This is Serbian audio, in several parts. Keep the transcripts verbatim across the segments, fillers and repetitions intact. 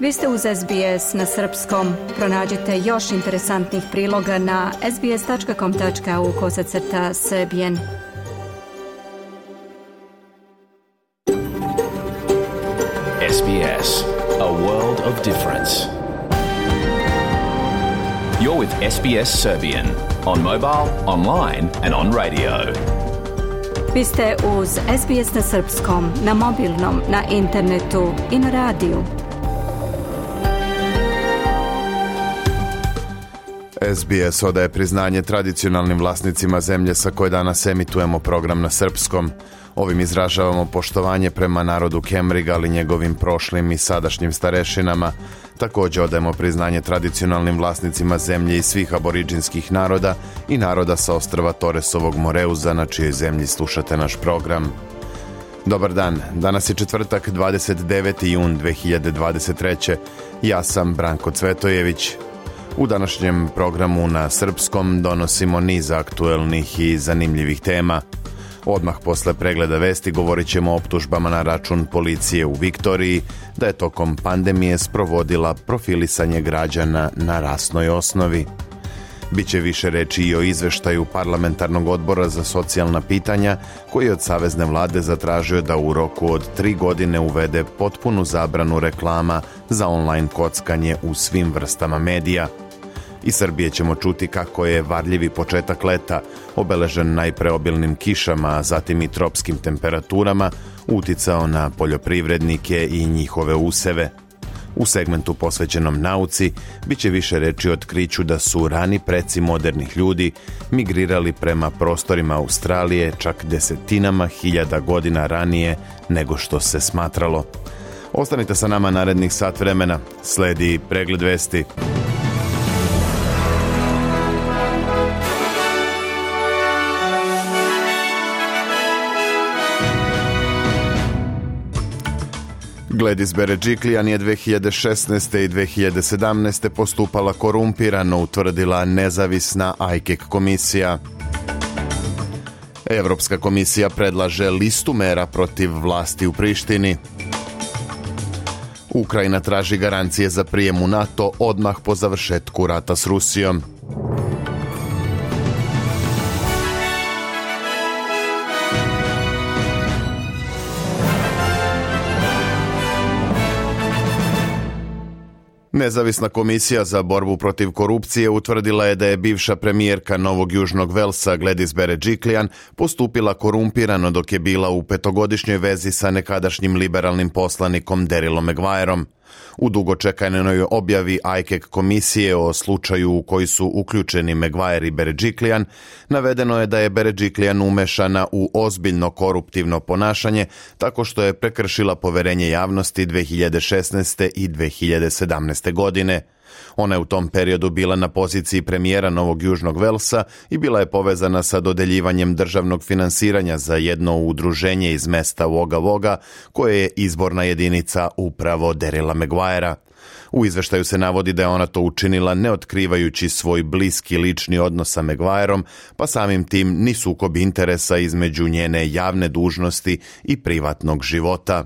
Vi ste uz S B S na srpskom. Pronađite još interesantnih priloga na sbs.com.au kosacrta srbijen. S B S, a world of difference. You're with S B S Serbian on mobile, online and on radio. Vi ste uz S B S na srpskom, na mobilnom, na internetu i na radiju. S B S odaje priznanje tradicionalnim vlasnicima zemlje sa koje danas emitujemo program na srpskom. Ovim izražavamo poštovanje prema narodu Kemriga, ali njegovim prošlim i sadašnjim starešinama. Također odajemo priznanje tradicionalnim vlasnicima zemlje i svih aboriđinskih naroda i naroda sa ostrva Toresovog Moreuza, na čijoj zemlji slušate naš program. Dobar dan, danas je četvrtak, dvadeset deveti jun dve hiljade dvadeset treće. Ja sam Branko Cvetojević. U današnjem programu na srpskom donosimo niz aktuelnih i zanimljivih tema. Odmah posle pregleda vesti govorit ćemo o optužbama na račun policije u Viktoriji, da je tokom pandemije sprovodila profilisanje građana na rasnoj osnovi. Biće više reči i o izveštaju Parlamentarnog odbora za socijalna pitanja, koji je od savezne vlade zatražio da u roku od tri godine uvede potpunu zabranu reklama za online kockanje u svim vrstama medija. Iz Srbije ćemo čuti kako je varljivi početak leta, obeležen najpre obilnim kišama, a zatim i tropskim temperaturama, uticao na poljoprivrednike i njihove useve. U segmentu posvećenom nauci biće više reči o otkriću da su rani preci modernih ljudi migrirali prema prostorima Australije čak desetinama hiljada godina ranije nego što se smatralo. Ostanite sa nama narednih sat vremena, sledi pregled vesti. Gladys Berejiklian je dve hiljade šesnaeste. i dve hiljade sedamnaeste. postupala korumpirano, utvrdila nezavisna I C A C komisija. Evropska komisija predlaže listu mera protiv vlasti u Prištini. Ukrajina traži garancije za prijem u NATO odmah po završetku rata s Rusijom. Nezavisna komisija za borbu protiv korupcije utvrdila je da je bivša premijerka Novog Južnog Velsa Gladys Berejiklian postupila korumpirano dok je bila u petogodišnjoj vezi sa nekadašnjim liberalnim poslanikom Darylom Maguireom. U dugočekanoj objavi I C A C komisije o slučaju u koji su uključeni Maguire i Berejiklian, navedeno je da je Berejiklian umešana u ozbiljno koruptivno ponašanje tako što je prekršila poverenje javnosti dve hiljade šesnaeste. i dve hiljade sedamnaeste. godine. Ona je u tom periodu bila na poziciji premijera Novog Južnog Velsa i bila je povezana sa dodeljivanjem državnog finansiranja za jedno udruženje iz mesta Wagga Wagga, koje je izborna jedinica upravo Daryla Maguirea. U izveštaju se navodi da je ona to učinila ne otkrivajući svoj bliski lični odnos sa Maguireom, pa samim tim ni sukob interesa između njene javne dužnosti i privatnog života.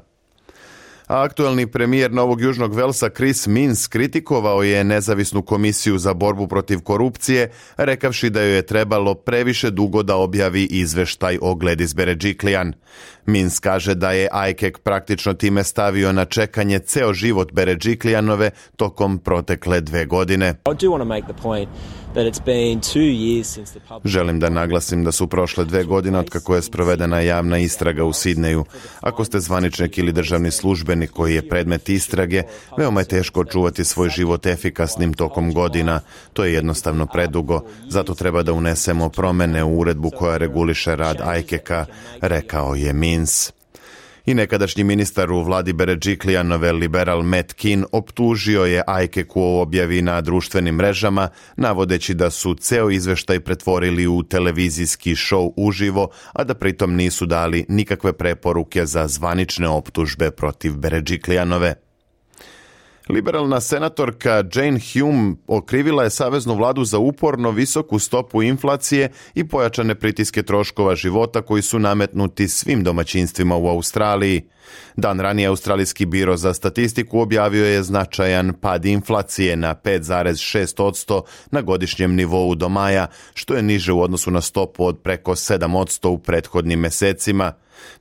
A aktuelni premijer Novog Južnog Velsa Chris Minns kritikovao je nezavisnu komisiju za borbu protiv korupcije, rekavši da joj je trebalo previše dugo da objavi izveštaj o Gladys Berejiklian. Minns kaže da je I C A C praktično time stavio na čekanje ceo život Berejiklianove tokom protekle dve godine. Želim da naglasim da su prošle dve godine od kako je sprovedena javna istraga u Sidneju. Ako ste zvaničnik ili državni službenik koji je predmet istrage, veoma je teško čuvati svoj život efikasnim tokom godina. To je jednostavno predugo, zato treba da unesemo promene u uredbu koja reguliše rad I C A C-a, rekao je Minns. I nekadašnji ministar u vladi Berejiklianove liberal Matt Kean optužio je I C A C u objavi na društvenim mrežama, navodeći da su ceo izveštaj pretvorili u televizijski šou uživo, a da pritom nisu dali nikakve preporuke za zvanične optužbe protiv Berejiklianove. Liberalna senatorka Jane Hume okrivila je saveznu vladu za uporno visoku stopu inflacije i pojačane pritiske troškova života koji su nametnuti svim domaćinstvima u Australiji. Dan ranije Australijski biro za statistiku objavio je značajan pad inflacije na pet zarez šest posto na godišnjem nivou do maja, što je niže u odnosu na stopu od preko sedam posto u prethodnim mesecima.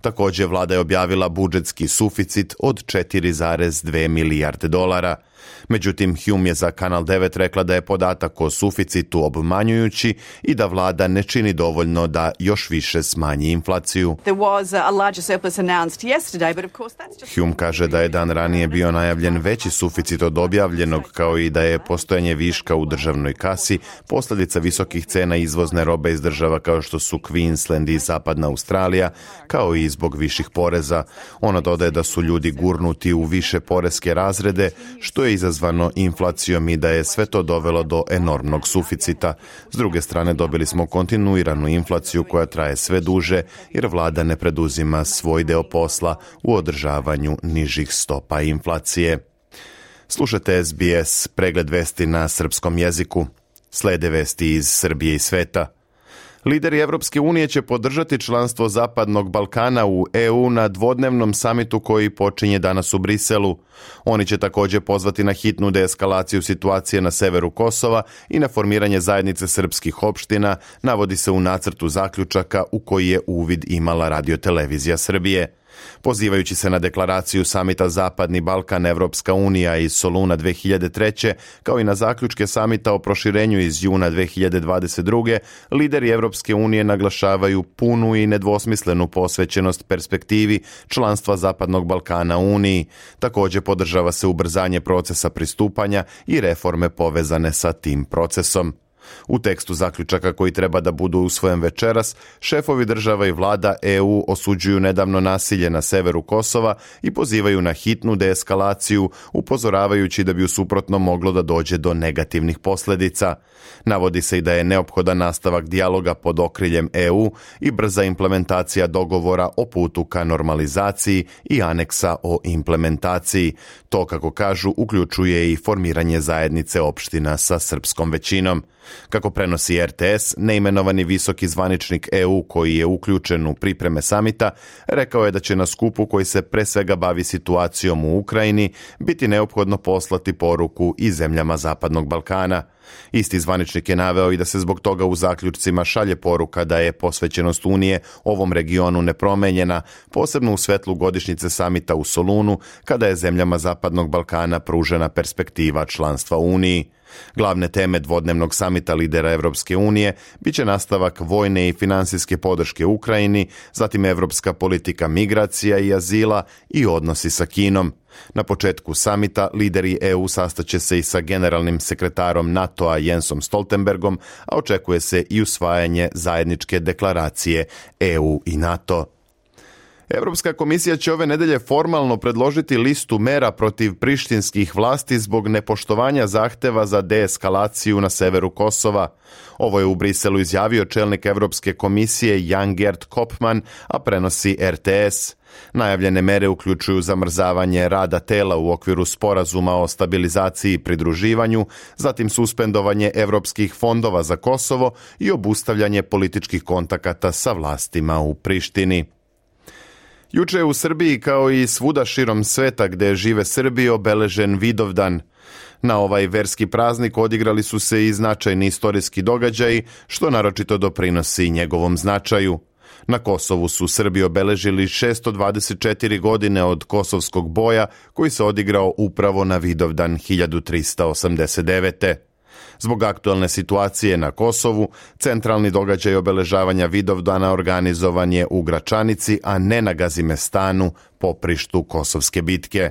Također, vlada je objavila budžetski suficit od četiri zarez dve milijarde dolara. Međutim, Hume je za Kanal devet rekla da je podatak o suficitu obmanjujući i da vlada ne čini dovoljno da još više smanji inflaciju. Hume kaže da je dan ranije bio najavljen veći suficit od objavljenog, kao i da je postojanje viška u državnoj kasi posljedica visokih cena izvozne robe iz država kao što su Queensland i Zapadna Australija, kao i zbog viših poreza. Ona dodaje da su ljudi gurnuti u više poreske razrede, što je izazvano inflacijom i da je sve to dovelo do enormnog suficita. S druge strane, dobili smo kontinuiranu inflaciju koja traje sve duže jer vlada ne preduzima svoj deo posla u održavanju nižih stopa inflacije. Slušajte S B S, pregled vesti na srpskom jeziku. Slede vesti iz Srbije i sveta. Lideri Evropske unije će podržati članstvo Zapadnog Balkana u E U na dvodnevnom samitu koji počinje danas u Briselu. Oni će također pozvati na hitnu deeskalaciju situacije na severu Kosova i na formiranje zajednice srpskih opština, navodi se u nacrtu zaključaka u koji je uvid imala radiotelevizija Srbije. Pozivajući se na deklaraciju samita Zapadni Balkan Evropska unija iz Soluna dve hiljade treće, kao i na zaključke samita o proširenju iz juna dve hiljade dvadeset druge, lideri Evropske unije naglašavaju punu i nedvosmislenu posvećenost perspektivi članstva Zapadnog Balkana Uniji. Također podržava se ubrzanje procesa pristupanja i reforme povezane sa tim procesom. U tekstu zaključaka koji treba da budu usvojen večeras, šefovi država i vlada E U osuđuju nedavno nasilje na severu Kosova i pozivaju na hitnu deeskalaciju, upozoravajući da bi u suprotnom moglo da dođe do negativnih posljedica. Navodi se i da je neophodan nastavak dijaloga pod okriljem E U i brza implementacija dogovora o putu ka normalizaciji i aneksa o implementaciji. To, kako kažu, uključuje i formiranje zajednice opština sa srpskom većinom. Kako prenosi R T S, neimenovani visoki zvaničnik E U koji je uključen u pripreme samita, rekao je da će na skupu koji se pre svega bavi situacijom u Ukrajini biti neophodno poslati poruku i zemljama Zapadnog Balkana. Isti zvaničnik je naveo i da se zbog toga u zaključcima šalje poruka da je posvećenost Unije ovom regionu nepromenjena, posebno u svetlu godišnjice samita u Solunu, kada je zemljama Zapadnog Balkana pružena perspektiva članstva u Uniji. Glavne teme dvodnevnog samita lidera Evropske unije biće nastavak vojne i finansijske podrške Ukrajini, zatim evropska politika migracija i azila i odnosi sa Kinom. Na početku samita lideri E U sastaće se i sa generalnim sekretarom NATO-a Jensom Stoltenbergom, a očekuje se i usvajanje zajedničke deklaracije E U i NATO. Evropska komisija će ove nedelje formalno predložiti listu mera protiv prištinskih vlasti zbog nepoštovanja zahteva za deeskalaciju na severu Kosova. Ovo je u Briselu izjavio čelnik Evropske komisije Jan Gert Koopman, a prenosi R T S. Najavljene mere uključuju zamrzavanje rada tela u okviru sporazuma o stabilizaciji i pridruživanju, zatim suspendovanje evropskih fondova za Kosovo i obustavljanje političkih kontakata sa vlastima u Prištini. Juče je u Srbiji, kao i svuda širom sveta gde žive Srbi, obeležen Vidovdan. Na ovaj verski praznik odigrali su se i značajni istorijski događaji, što naročito doprinosi njegovom značaju. Na Kosovu su Srbi obeležili šesto dvadeset četiri godine od Kosovskog boja, koji se odigrao upravo na Vidovdan hiljadu trista osamdeset devete. Zbog aktualne situacije na Kosovu, centralni događaj obeležavanja Vidovdana organizovan je u Gračanici, a ne na Gazimestanu, poprištu Kosovske bitke.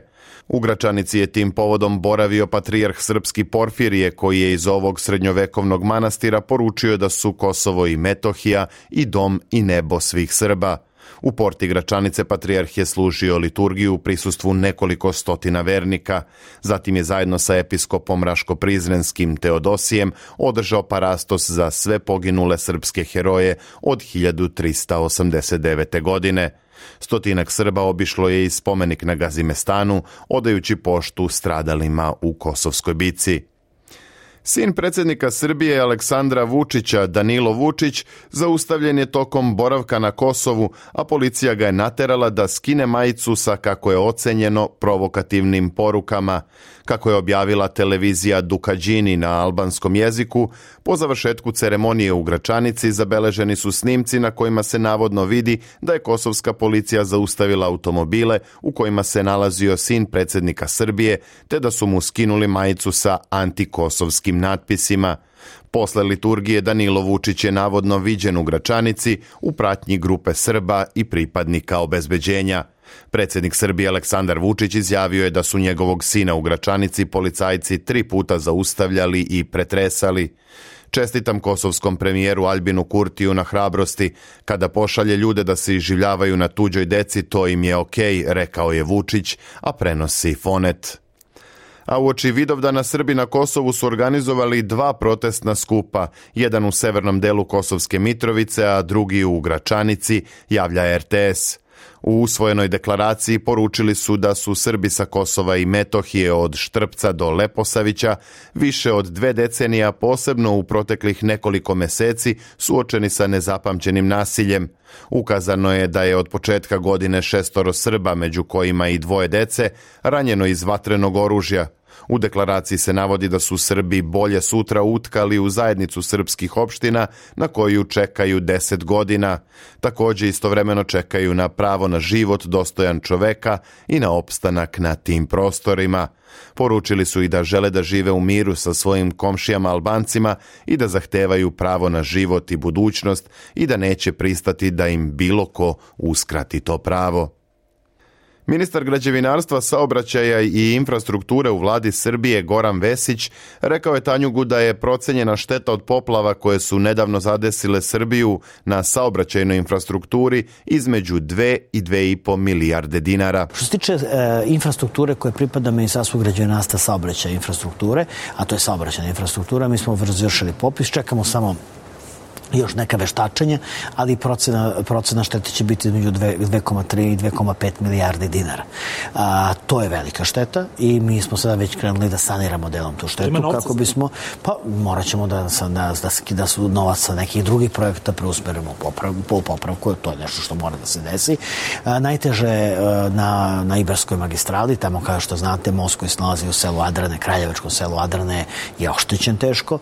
U Gračanici je tim povodom boravio patrijarh srpski Porfirije, koji je iz ovog srednjovekovnog manastira poručio da su Kosovo i Metohija i dom i nebo svih Srba. U porti Gračanice patrijarh je služio liturgiju u prisustvu nekoliko stotina vernika. Zatim je zajedno sa episkopom Raško-Prizrenskim Teodosijem održao parastos za sve poginule srpske heroje od hiljadu trista osamdeset devete. godine. Stotinak Srba obišlo je i spomenik na Gazimestanu, odajući poštu stradalima u Kosovskoj bici. Sin predsjednika Srbije Aleksandra Vučića, Danilo Vučić, zaustavljen je tokom boravka na Kosovu, a policija ga je naterala da skine majicu sa, kako je ocenjeno, provokativnim porukama. Kako je objavila televizija Dukađini na albanskom jeziku, po završetku ceremonije u Gračanici zabeleženi su snimci na kojima se navodno vidi da je kosovska policija zaustavila automobile u kojima se nalazio sin predsjednika Srbije, te da su mu skinuli majicu sa antikosovskim natpisima. Posle liturgije Danilo Vučić je navodno viđen u Gračanici u pratnji grupe Srba i pripadnika obezbeđenja. Predsjednik Srbije Aleksandar Vučić izjavio je da su njegovog sina u Gračanici policajci tri puta zaustavljali i pretresali. Čestitam kosovskom premijeru Albinu Kurtiju na hrabrosti. Kada pošalje ljude da se iživljavaju na tuđoj deci, to im je okej, rekao je Vučić, a prenosi Fonet. A uoči Vidovdana Srbi na Kosovu su organizovali dva protestna skupa, jedan u severnom delu Kosovske Mitrovice, a drugi u Gračanici, javlja er te es. U usvojenoj deklaraciji poručili su da su Srbi sa Kosova i Metohije od Štrpca do Leposavića više od dve decenija, posebno u proteklih nekoliko meseci, suočeni sa nezapamćenim nasiljem. Ukazano je da je od početka godine šestoro Srba, među kojima i dvoje dece, ranjeno iz vatrenog oružja. U deklaraciji se navodi da su Srbi bolje sutra utkali u zajednicu srpskih opština na koju čekaju deset godina. Također istovremeno čekaju na pravo na život dostojan čoveka i na opstanak na tim prostorima. Poručili su i da žele da žive u miru sa svojim komšijama Albancima i da zahtevaju pravo na život i budućnost i da neće pristati da im bilo ko uskrati to pravo. Ministar građevinarstva, saobraćaja i infrastrukture u vladi Srbije Goran Vesić rekao je Tanjugu da je procenjena šteta od poplava koje su nedavno zadesile Srbiju na saobraćajnoj infrastrukturi između dve i dve i po milijarde dinara. Što se tiče e, infrastrukture koje pripada Ministarstvu građevinarstva, saobraćaja i infrastrukture, a to je saobraćajna infrastruktura, mi smo završili popis, čekamo samo još neka veštačenja, ali procena, procena štete će biti između dve zarez tri i dve zarez pet milijarde dinara. A, to je velika šteta i mi smo sada već krenuli da saniramo delom tu štetu kako bismo, pa morat ćemo da, da, da, da su novac sa nekih drugih projekta preusmerimo u popravku, po popravku, to je nešto što mora da se desi. A, najteže na, na Ibarskoj magistrali, tamo kao što znate, most koji se nalazi u selu Adrane, Kraljevačkom selu Adrane je oštećen teško.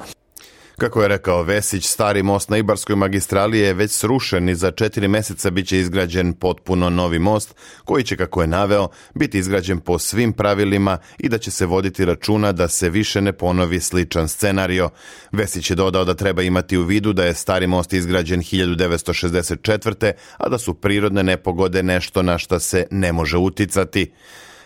Kako je rekao Vesić, stari most na Ibarskoj magistrali je već srušen i za četiri mjeseca bit će izgrađen potpuno novi most, koji će, kako je naveo, biti izgrađen po svim pravilima i da će se voditi računa da se više ne ponovi sličan scenario. Vesić je dodao da treba imati u vidu da je stari most izgrađen hiljadu devetsto šezdeset četvrte. a da su prirodne nepogode nešto na šta se ne može uticati.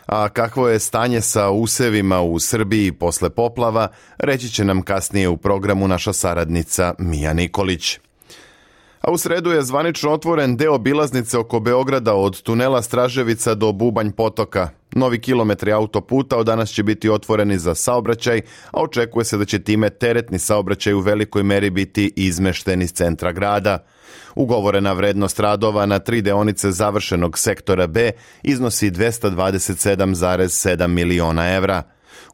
A kakvo je stanje sa usevima u Srbiji posle poplava, reći će nam kasnije u programu naša saradnica Mija Nikolić. A u sredu je zvanično otvoren deo obilaznice oko Beograda od tunela Straževica do Bubanj potoka. Novi kilometri autoputa od danas će biti otvoreni za saobraćaj, a očekuje se da će time teretni saobraćaj u velikoj meri biti izmešten iz centra grada. Ugovorena vrednost radova na tri deonice završenog sektora B iznosi dvesta dvadeset sedam zarez sedam miliona evra.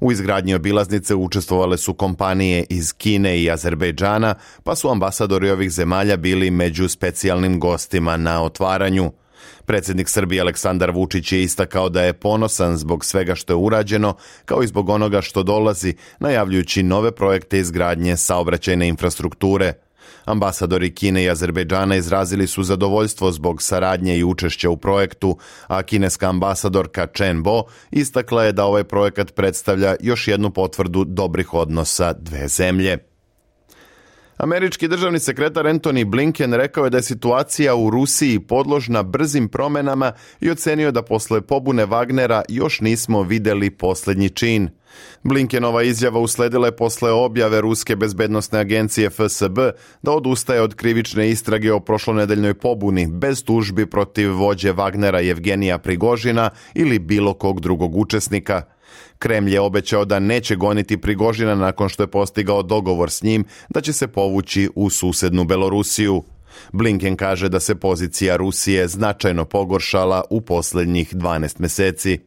U izgradnji obilaznice učestvovale su kompanije iz Kine i Azerbejdžana, pa su ambasadori ovih zemalja bili među specijalnim gostima na otvaranju. Predsjednik Srbije Aleksandar Vučić je istakao da je ponosan zbog svega što je urađeno, kao i zbog onoga što dolazi, najavljujući nove projekte izgradnje saobraćajne infrastrukture. Ambasadori Kine i Azerbejdžana izrazili su zadovoljstvo zbog saradnje i učešća u projektu, a kineska ambasadorka Chen Bo istakla je da ovaj projekat predstavlja još jednu potvrdu dobrih odnosa dve zemlje. Američki državni sekretar Antony Blinken rekao je da je situacija u Rusiji podložna brzim promenama i ocenio da posle pobune Wagnera još nismo vidjeli posljednji čin. Blinkenova izjava usledila je posle objave Ruske bezbednosne agencije F S B da odustaje od krivične istrage o prošlonedeljnoj pobuni bez tužbi protiv vođe Wagnera Jevgenija Prigožina ili bilo kog drugog učesnika. Kremlj je obećao da neće goniti Prigožina nakon što je postigao dogovor s njim da će se povući u susednu Belorusiju. Blinken kaže da se pozicija Rusije značajno pogoršala u posljednjih dvanaest mjeseci.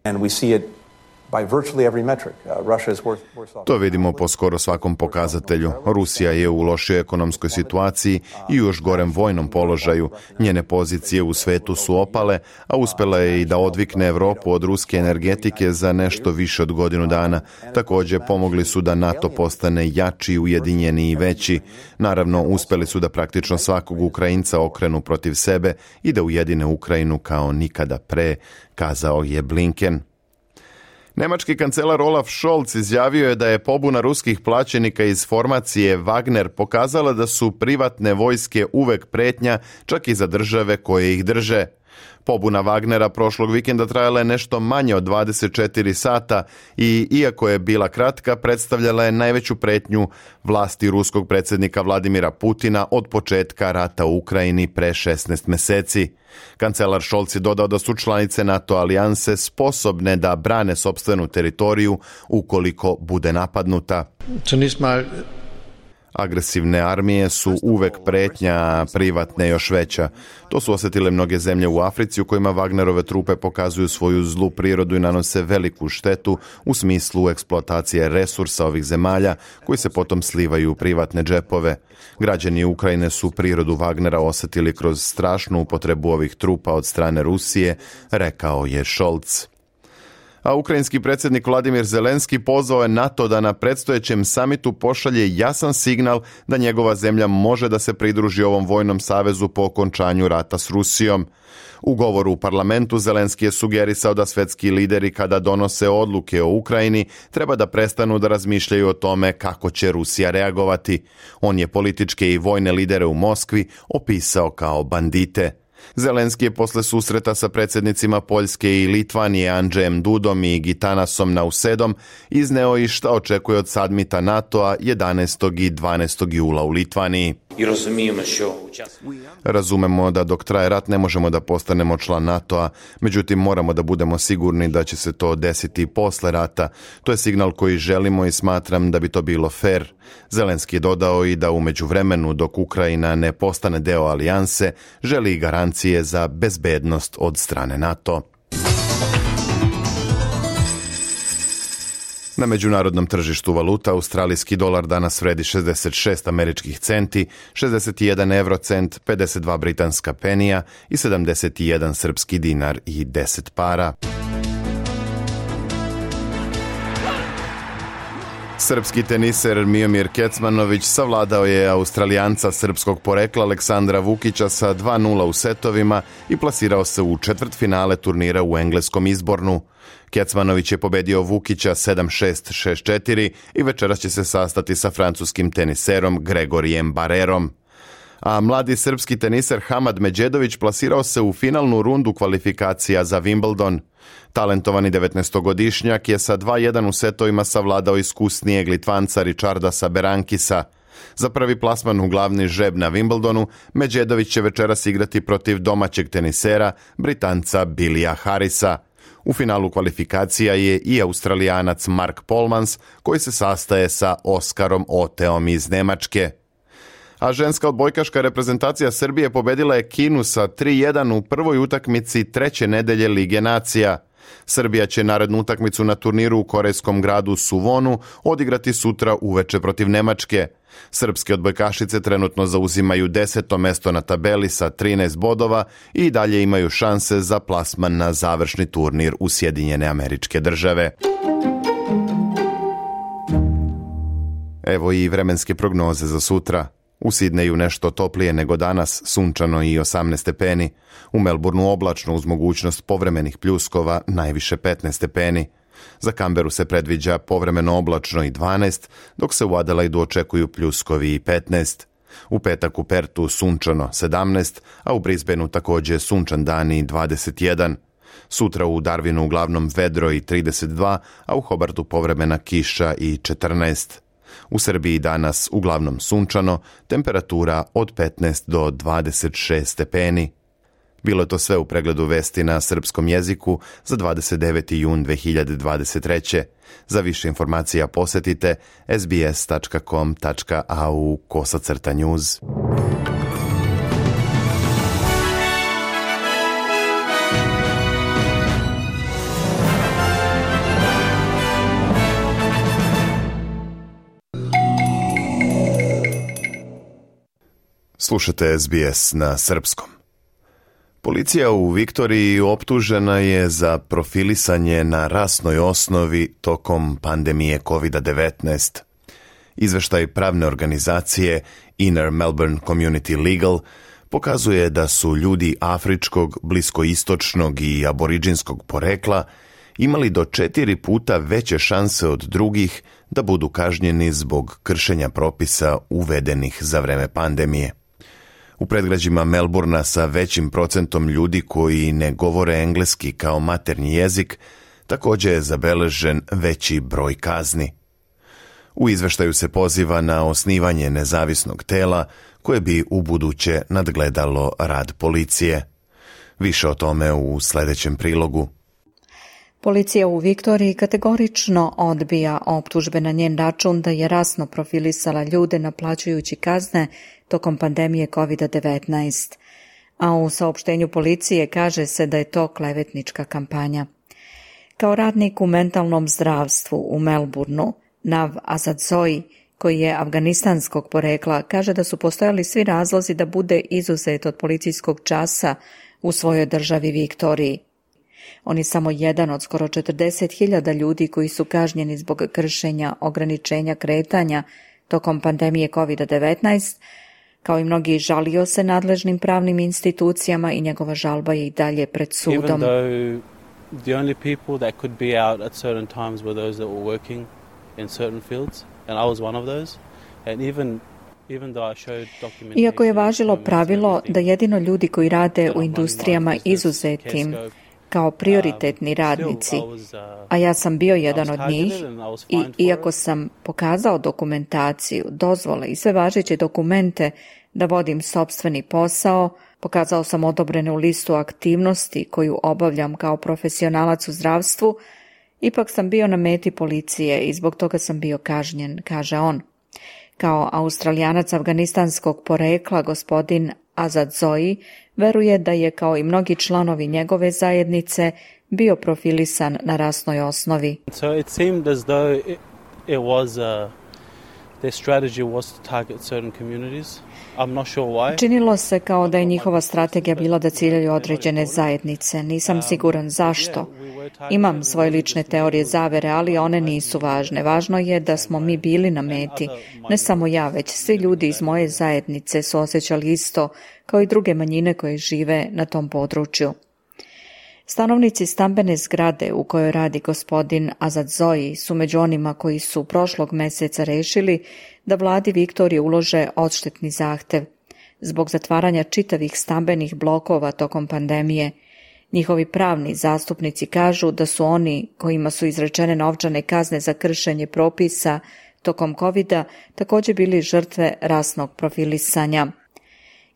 To vidimo po skoro svakom pokazatelju. Rusija je u lošoj ekonomskoj situaciji i u još gorem vojnom položaju. Njene pozicije u svetu su opale, a uspjela je i da odvikne Europu od ruske energetike za nešto više od godinu dana. Također pomogli su da NATO postane jači, ujedinjeni i veći. Naravno, uspjeli su da praktično svakog Ukrajinca okrenu protiv sebe i da ujedine Ukrajinu kao nikada pre, kazao je Blinken. Nemački kancelar Olaf Scholz izjavio je da je pobuna ruskih plaćenika iz formacije Wagner pokazala da su privatne vojske uvek pretnja, čak i za države koje ih drže. Pobuna Wagnera prošlog vikenda trajala je nešto manje od dvadeset četiri sata i, iako je bila kratka, predstavljala je najveću pretnju vlasti ruskog predsjednika Vladimira Putina od početka rata u Ukrajini pre šesnaest mjeseci. Kancelar Scholz je dodao da su članice NATO alijanse sposobne da brane sopstvenu teritoriju ukoliko bude napadnuta. Agresivne armije su uvek pretnja, privatne još veća. To su osjetile mnoge zemlje u Africi u kojima Wagnerove trupe pokazuju svoju zlu prirodu i nanose veliku štetu u smislu eksploatacije resursa ovih zemalja koji se potom slivaju u privatne džepove. Građani Ukrajine su prirodu Wagnera osjetili kroz strašnu upotrebu ovih trupa od strane Rusije, rekao je Scholz. A ukrajinski predsjednik Vladimir Zelenski pozvao je NATO da na predstojećem samitu pošalje jasan signal da njegova zemlja može da se pridruži ovom vojnom savezu po okončanju rata s Rusijom. U govoru u parlamentu Zelenski je sugerisao da svetski lideri kada donose odluke o Ukrajini treba da prestanu da razmišljaju o tome kako će Rusija reagovati. On je političke i vojne lidere u Moskvi opisao kao bandite. Zelenski je posle susreta sa predsjednicima Poljske i Litvanije Andžejem Dudom i Gitanasom Nausedom izneo i šta očekuje od samita NATO-a jedanaestog i dvanaestog jula u Litvaniji. Razumemo da dok traje rat ne možemo da postanemo član NATO-a, međutim moramo da budemo sigurni da će se to desiti posle rata. To je signal koji želimo i smatram da bi to bilo fair. Zelenski je dodao i da u međuvremenu dok Ukrajina ne postane deo alijanse, želi garancije za bezbednost od strane NATO. Na međunarodnom tržištu valuta australijski dolar danas vredi šezdeset šest američkih centi, šezdeset jedan eurocent, pedeset dva britanska penija i sedamdeset jedan srpski dinar i deset para. Srpski teniser Miomir Kecmanović savladao je Australijanca srpskog porekla Aleksandra Vukića sa dva nula u setovima i plasirao se u četvrtfinale turnira u engleskom Izbornu. Kecmanović je pobedio Vukića sedam šest, šest četiri i večeras će se sastati sa francuskim teniserom Gregorijem Barerom. A mladi srpski teniser Hamad Međedović plasirao se u finalnu rundu kvalifikacija za Wimbledon. Talentovani devetnaestogodišnjak je sa dva jedan u setovima savladao iskusnijeg Litvanca Richardasa Berankisa. Za prvi plasman u glavni žreb na Wimbledonu, Međedović će večeras igrati protiv domaćeg tenisera, Britanca Billija Harrisa. U finalu kvalifikacija je i Australijanac Mark Polmans, koji se sastaje sa Oskarom Oteom iz Nemačke. A ženska odbojkaška reprezentacija Srbije pobedila je Kinu sa tri jedan u prvoj utakmici treće nedelje Lige nacija. Srbija će narednu utakmicu na turniru u korejskom gradu Suvonu odigrati sutra uveče protiv Nemačke. Srpske odbojkašice trenutno zauzimaju deseto mesto na tabeli sa trinaest bodova i dalje imaju šanse za plasman na završni turnir u Sjedinjene Američke Države. Evo i vremenske prognoze za sutra. U Sidneju nešto toplije nego danas, sunčano i osamnaest stepeni. U Melbourneu oblačno uz mogućnost povremenih pljuskova, najviše petnaest stepeni. Za Canberu se predviđa povremeno oblačno i dvanaest, dok se u Adelaidu očekuju pljuskovi i petnaest. U petak u Pertu sunčano sedamnaest, a u Brisbaneu također sunčan dan i dvadeset jedan. Sutra u Darwinu uglavnom vedro i trideset dva, a u Hobartu povremena kiša i četrnaest. U Srbiji danas uglavnom sunčano, temperatura od petnaest do dvadeset šest stepeni. Bilo je to sve u pregledu vesti na srpskom jeziku za dvadeset deveti jun dve hiljade dvadeset treće. Za više informacija posjetite sbs tačka com tačka a u kosacrta news. Slušate S B S na srpskom. Policija u Viktoriji optužena je za profilisanje na rasnoj osnovi tokom pandemije kovid devetnaest. Izveštaj pravne organizacije Inner Melbourne Community Legal pokazuje da su ljudi afričkog, bliskoistočnog i aboriđinskog porekla imali do četiri puta veće šanse od drugih da budu kažnjeni zbog kršenja propisa uvedenih za vreme pandemije. U predgrađima Melburna sa većim procentom ljudi koji ne govore engleski kao maternji jezik, također je zabeležen veći broj kazni. U izveštaju se poziva na osnivanje nezavisnog tela koje bi ubuduće nadgledalo rad policije. Više o tome u sljedećem prilogu. Policija u Viktoriji kategorično odbija optužbe na njen račun da je rasno profilisala ljude naplaćujući kazne tokom pandemije kovid devetnaest, a u saopštenju policije kaže se da je to klevetnička kampanja. Kao radnik u mentalnom zdravstvu u Melbourneu, Nav Azadzoi, koji je afganistanskog porekla, kaže da su postojali svi razlozi da bude izuzet od policijskog časa u svojoj državi Viktoriji. On je samo jedan od skoro četrdeset hiljada ljudi koji su kažnjeni zbog kršenja ograničenja kretanja tokom pandemije kovid devetnaest, kao i mnogi žalio se nadležnim pravnim institucijama i njegova žalba je i dalje pred sudom. Even though the only people that could be out at certain times were those that were working in certain fields, and I was one of those, and even Iako je važilo pravilo da jedino ljudi koji rade u industrijama izuzetim kao prioritetni radnici, a ja sam bio jedan od njih, i iako sam pokazao dokumentaciju, dozvole i sve važeće dokumente da vodim sopstveni posao, pokazao sam odobrenu listu aktivnosti koju obavljam kao profesionalac u zdravstvu, ipak sam bio na meti policije i zbog toga sam bio kažnjen, kaže on. Kao Australijanac afganistanskog porekla, gospodin Azadzoi veruje da je, kao i mnogi članovi njegove zajednice, bio profilisan na rasnoj osnovi. So it seemed as though it, it was a, their strategy was to target certain communities. I'm not sure why. Činilo se kao da je njihova strategija bila da ciljaju određene zajednice. Nisam siguran zašto. Imam svoje lične teorije zavere, ali one nisu važne. Važno je da smo mi bili na meti. Ne samo ja, već svi ljudi iz moje zajednice su osjećali isto, kao i druge manjine koje žive na tom području. Stanovnici stambene zgrade u kojoj radi gospodin Azadzoi su među onima koji su prošlog mjeseca rešili da vladi Viktorije ulože odštetni zahtev zbog zatvaranja čitavih stambenih blokova tokom pandemije. Njihovi pravni zastupnici kažu da su oni kojima su izrečene novčane kazne za kršenje propisa tokom covida također bili žrtve rasnog profilisanja.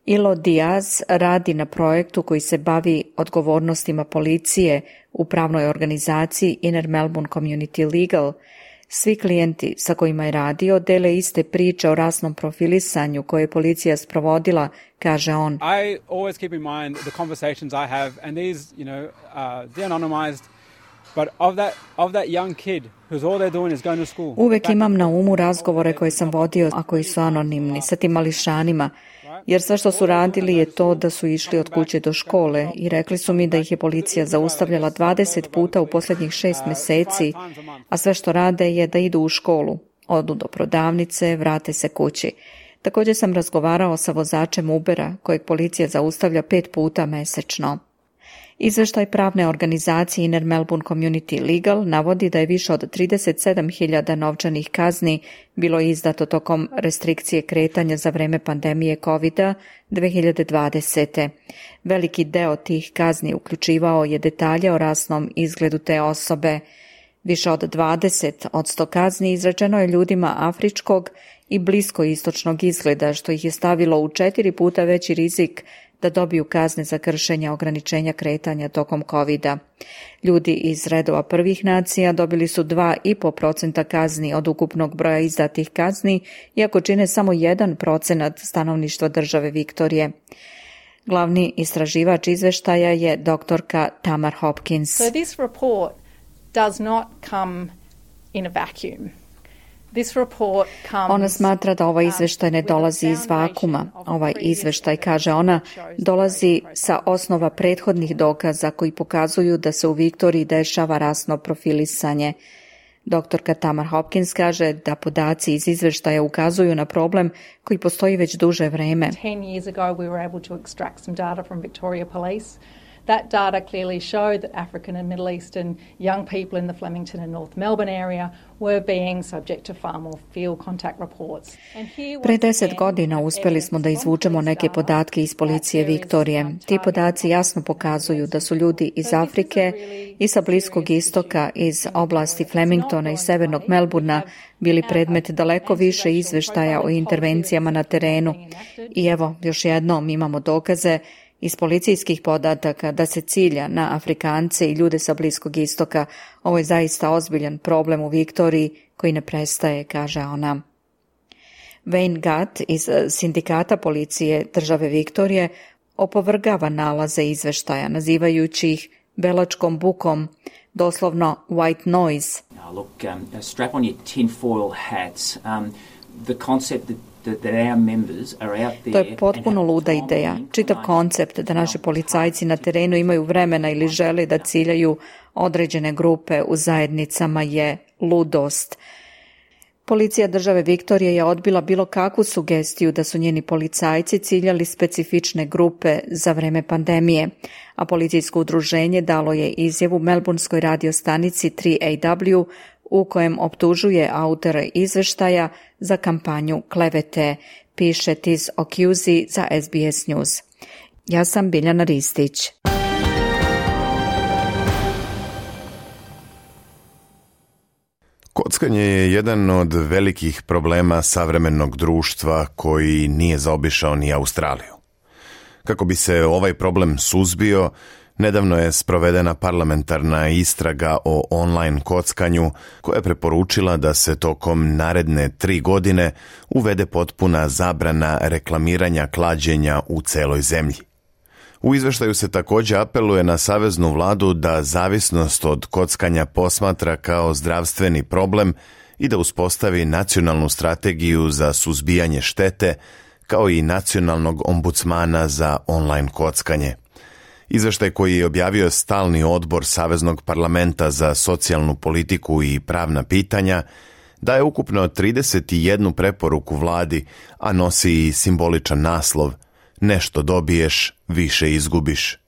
Ilo Diaz radi na projektu koji se bavi odgovornostima policije u pravnoj organizaciji Inner Melbourne Community Legal. Svi klijenti sa kojima je radio dele iste priče o rasnom profilisanju koje je policija sprovodila, kaže on. I always keep in mind the conversations I have, and these, you know, uh, they're anonymized, but of that of that young kid who's all they're doing is going to school. Uvek imam na umu razgovore koje sam vodio, a koji su anonimni, sa tim mališanima, jer sve što su radili je to da su išli od kuće do škole i rekli su mi da ih je policija zaustavljala dvadeset puta u posljednjih šest mjeseci, a sve što rade je da idu u školu, odu do prodavnice, vrate se kući. Također sam razgovarao sa vozačem Ubera, kojeg policija zaustavlja pet puta mesečno. Izveštaj pravne organizacije Inner Melbourne Community Legal navodi da je više od trideset sedam hiljada novčanih kazni bilo izdato tokom restrikcije kretanja za vreme pandemije covida dve hiljade dvadesete. Veliki deo tih kazni uključivao je detalje o rasnom izgledu te osobe. Više od dvadeset od sto kazni izrečeno je ljudima afričkog i bliskoistočnog izgleda, što ih je stavilo u četiri puta veći rizik da dobiju kazne za kršenje ograničenja kretanja tokom covida. Ljudi iz redova prvih nacija dobili su dva i po procenta kazni od ukupnog broja izdatih kazni, iako čine samo jedan procenat stanovništva države Viktorije. Glavni istraživač izveštaja je doktorka Tamar Hopkins. So this report does not come in a vacuum. Ona smatra da ovaj izveštaj ne dolazi iz vakuma. Ovaj izveštaj, kaže ona, dolazi sa osnova prethodnih dokaza koji pokazuju da se u Viktoriji dešava rasno profilisanje. Doktorka Tamar Hopkins kaže da podaci iz izveštaja ukazuju na problem koji postoji već duže vreme. ten years ago we were able to extract some data from Victoria Police. That data clearly showed that African and Middle Eastern young people in the Flemington and North Melbourne area were being subject to far more field contact reports. Pre deset godina uspeli smo da izvučemo neke podatke iz policije Viktorije. Ti podaci jasno pokazuju da su ljudi iz Afrike i sa Bliskog istoka, iz oblasti Flemingtona i severnog Melburna bili predmet daleko više izveštaja o intervencijama na terenu. I evo, još jednom imamo dokaze iz policijskih podataka da se cilja na Afrikance i ljude sa Bliskog istoka. Ovo je zaista ozbiljan problem u Viktoriji koji ne prestaje, kaže ona. Wayne Gatt iz sindikata policije države Viktorije opovrgava nalaze izveštaja, nazivajući ih belačkom bukom, doslovno white noise. Now look, um, strap on your tinfoil hats. Um, the concept that To je potpuno luda ideja. Čitav koncept da naši policajci na terenu imaju vremena ili žele da ciljaju određene grupe u zajednicama je ludost. Policija države Viktorije je odbila bilo kakvu sugestiju da su njeni policajci ciljali specifične grupe za vreme pandemije, a policijsko udruženje dalo je izjavu melburnskoj radiostanici tri A W u kojem optužuje autore izveštaja za kampanju klevete, piše Tiz Okuzi za S B S News. Ja sam Biljana Ristić. Kockanje je jedan od velikih problema savremenog društva koji nije zaobišao ni Australiju. Kako bi se ovaj problem suzbio, nedavno je sprovedena parlamentarna istraga o online kockanju koja je preporučila da se tokom naredne tri godine uvede potpuna zabrana reklamiranja klađenja u celoj zemlji. U izveštaju se također apeluje na saveznu vladu da zavisnost od kockanja posmatra kao zdravstveni problem i da uspostavi nacionalnu strategiju za suzbijanje štete, kao i nacionalnog ombudsmana za online kockanje. Izveštaj koji je objavio stalni odbor Saveznog parlamenta za socijalnu politiku i pravna pitanja daje ukupno trideset jednu preporuku vladi, a nosi i simboličan naslov Nešto dobiješ, više izgubiš.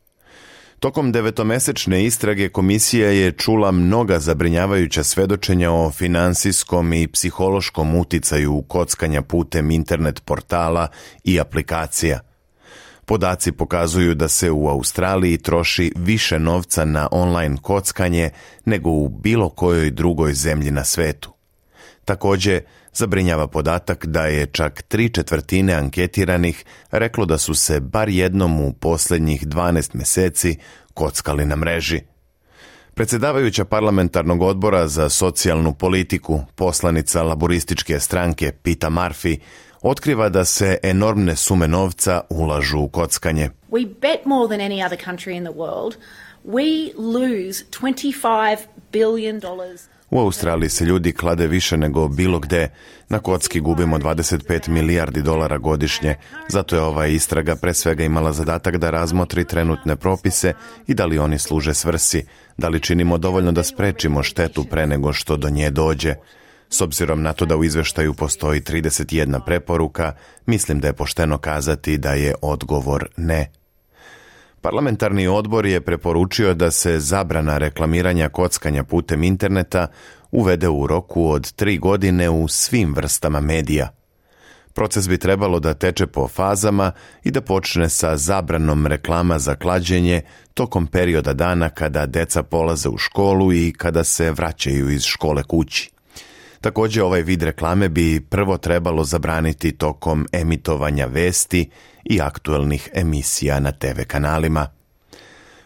Tokom devetomesečne istrage komisija je čula mnoga zabrinjavajuća svedočenja o finansijskom i psihološkom uticaju kockanja putem internet portala i aplikacija. Podaci pokazuju da se u Australiji troši više novca na online kockanje nego u bilo kojoj drugoj zemlji na svetu. Također, zabrinjava podatak da je čak tri četvrtine anketiranih reklo da su se bar jednom u posljednjih dvanaest mjeseci kockali na mreži. Predsjedavajuća parlamentarnog odbora za socijalnu politiku, poslanica laborističke stranke Peta Murphy, otkriva da se enormne sume novca ulažu u kockanje. We bet more than any other country in the world. We lose twenty-five billion dollars. U Australiji se ljudi klade više nego bilo gde. Na kocki gubimo dvadeset pet milijardi dolara godišnje. Zato je ova istraga pre svega imala zadatak da razmotri trenutne propise i da li oni služe svrsi, da li činimo dovoljno da sprečimo štetu pre nego što do nje dođe. S obzirom na to da u izveštaju postoji trideset jedna preporuka, mislim da je pošteno kazati da je odgovor ne. Parlamentarni odbor je preporučio da se zabrana reklamiranja kockanja putem interneta uvede u roku od tri godine u svim vrstama medija. Proces bi trebalo da teče po fazama i da počne sa zabranom reklama za klađenje tokom perioda dana kada deca polaze u školu i kada se vraćaju iz škole kući. Također, ovaj vid reklame bi prvo trebalo zabraniti tokom emitovanja vesti i aktuelnih emisija na te ve kanalima.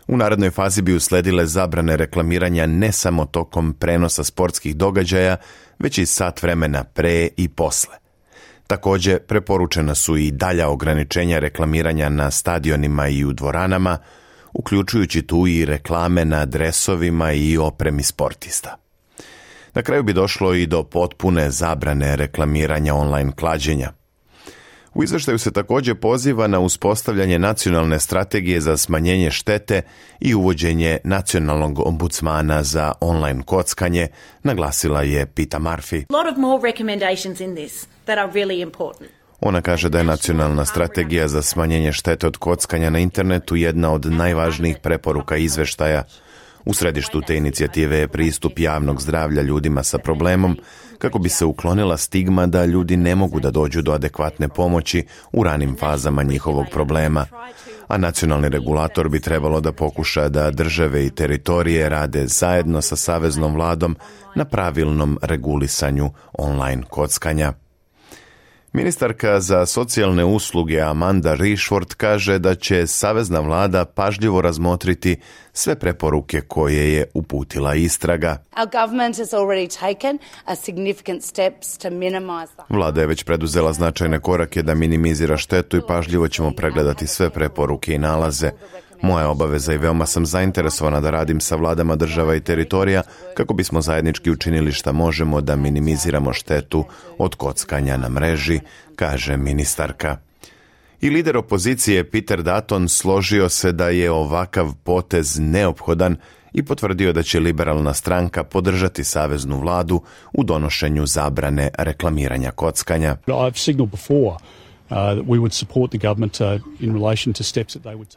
U narednoj fazi bi usledile zabrane reklamiranja ne samo tokom prenosa sportskih događaja, već i sat vremena pre i posle. Također, preporučena su i dalja ograničenja reklamiranja na stadionima i u dvoranama, uključujući tu i reklame na dresovima i opremi sportista. Na kraju bi došlo i do potpune zabrane reklamiranja online klađenja. U izveštaju se također poziva na uspostavljanje nacionalne strategije za smanjenje štete i uvođenje nacionalnog ombudsmana za online kockanje, naglasila je Peta Murphy. Ona kaže da je nacionalna strategija za smanjenje štete od kockanja na internetu jedna od najvažnijih preporuka izveštaja. U središtu te inicijative je pristup javnog zdravlja ljudima sa problemom, kako bi se uklonila stigma da ljudi ne mogu da dođu do adekvatne pomoći u ranim fazama njihovog problema. A nacionalni regulator bi trebalo da pokuša da države i teritorije rade zajedno sa saveznom vladom na pravilnom regulisanju online kockanja. Ministarka za socijalne usluge Amanda Rishford kaže da će savezna vlada pažljivo razmotriti sve preporuke koje je uputila istraga. Vlada je već preduzela značajne korake da minimizira štetu i pažljivo ćemo pregledati sve preporuke i nalaze. Moja obaveza i veoma sam zainteresovana da radim sa vladama država i teritorija kako bismo zajednički učinili šta možemo da minimiziramo štetu od kockanja na mreži, kaže ministarka. I lider opozicije Peter Dutton složio se da je ovakav potez neophodan i potvrdio da će liberalna stranka podržati saveznu vladu u donošenju zabrane reklamiranja kockanja.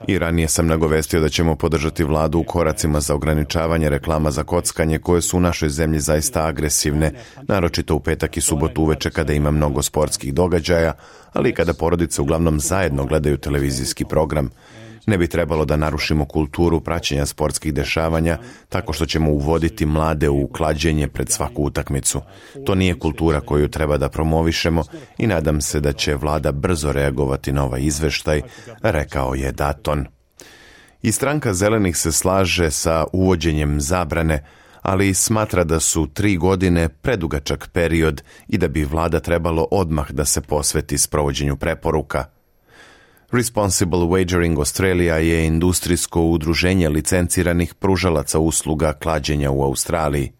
I ranije sam nagovestio da ćemo podržati vladu u koracima za ograničavanje reklama za kockanje koje su u našoj zemlji zaista agresivne, naročito u petak i subotu uveče kada ima mnogo sportskih događaja, ali i kada porodice uglavnom zajedno gledaju televizijski program. Ne bi trebalo da narušimo kulturu praćenja sportskih dešavanja tako što ćemo uvoditi mlade u klađenje pred svaku utakmicu. To nije kultura koju treba da promovišemo i nadam se da će vlada brzo reagovati na ovaj izveštaj, rekao je Dutton. I stranka zelenih se slaže sa uvođenjem zabrane, ali smatra da su tri godine predugačak period i da bi vlada trebalo odmah da se posveti sprovođenju preporuka. Responsible Wagering Australia je industrijsko udruženje licenciranih pružalaca usluga klađenja u Australiji.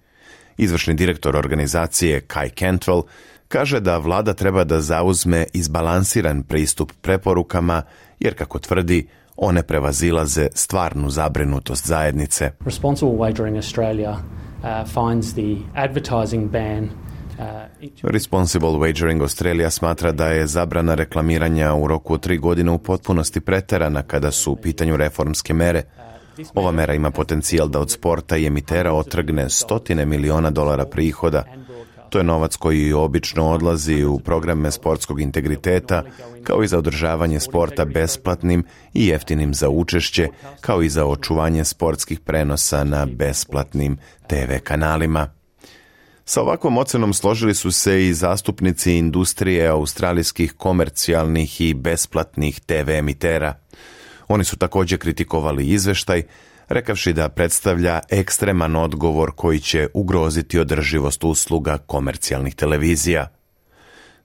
Izvršni direktor organizacije Kai Cantwell kaže da vlada treba da zauzme izbalansiran pristup preporukama, jer kako tvrdi, one prevazilaze stvarnu zabrinutost zajednice. Responsible Wagering Australia uh, finds the advertising ban Responsible Wagering Australia smatra da je zabrana reklamiranja u roku od tri godine u potpunosti preterana kada su u pitanju reformske mere. Ova mera ima potencijal da od sporta i emitera otrgne stotine miliona dolara prihoda. To je novac koji obično odlazi u programe sportskog integriteta, kao i za održavanje sporta besplatnim i jeftinim za učešće, kao i za očuvanje sportskih prenosa na besplatnim te ve kanalima. Sa ovakvom ocenom složili su se i zastupnici industrije australijskih komercijalnih i besplatnih te ve emitera. Oni su također kritikovali izveštaj, rekavši da predstavlja ekstreman odgovor koji će ugroziti održivost usluga komercijalnih televizija.